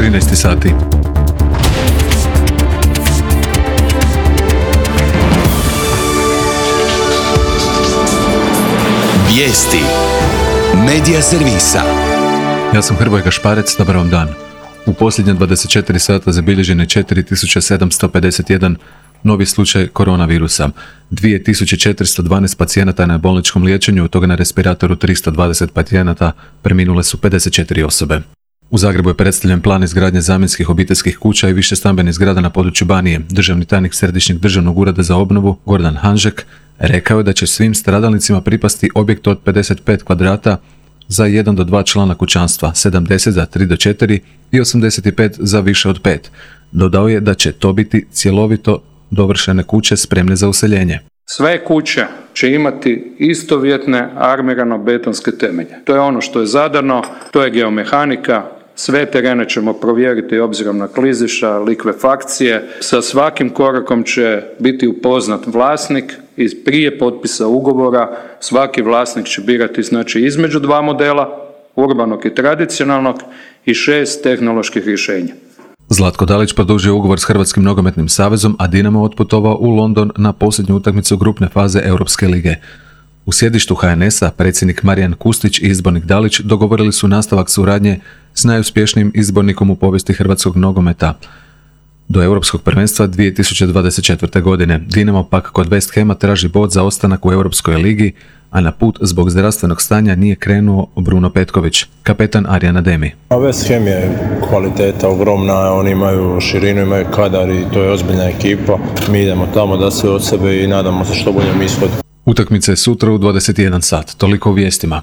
13 sati. Vijesti Medija servisa. Ja sam Hrvoje Gašparec, dobar vam dan. U posljednje 24 sata zabilježen je 4751 novi slučaj koronavirusa. 2412 pacijenata na bolničkom liječenju, od toga na respiratoru 320 pacijenata, preminule su 54 osobe. U Zagrebu je predstavljen plan izgradnje zamjenskih obiteljskih kuća i više stambenih zgrada na području Banije. Državni tajnik Središnjeg državnog ureda za obnovu, Gordan Hanžek, rekao je da će svim stradalnicima pripasti objekt od 55 kvadrata za 1 do 2 člana kućanstva, 70 za 3 do 4 i 85 za više od 5. Dodao je da će to biti cjelovito dovršene kuće spremne za useljenje. Sve kuće će imati istovjetne armirano-betonske temelje. To je ono što je zadano, to je geomehanika. Sve terene ćemo provjeriti obzirom na klizišta, likvefakcije. Sa svakim korakom će biti upoznat vlasnik i prije potpisa ugovora svaki vlasnik će birati između 2 modela, urbanog i tradicionalnog, i 6 tehnoloških rješenja. Zlatko Dalić produžio ugovor s Hrvatskim nogometnim savezom, a Dinamo otputovao u London na posljednju utakmicu grupne faze Europske lige. U sjedištu HNS-a predsjednik Marijan Kustić i izbornik Dalić dogovorili su nastavak suradnje s najuspješnijim izbornikom u povijesti hrvatskog nogometa do Europskog prvenstva 2024. godine. Dinamo pak kod West Hama traži bod za ostanak u Europskoj ligi, a na put zbog zdravstvenog stanja nije krenuo Bruno Petković, kapetan Arjana Demi. West Ham je kvaliteta ogromna, oni imaju širinu, imaju kadar i to je ozbiljna ekipa. Mi idemo tamo da sve od sebe i nadamo se što boljem ishodu. Utakmica je sutra u 21 sat. Toliko u vijestima.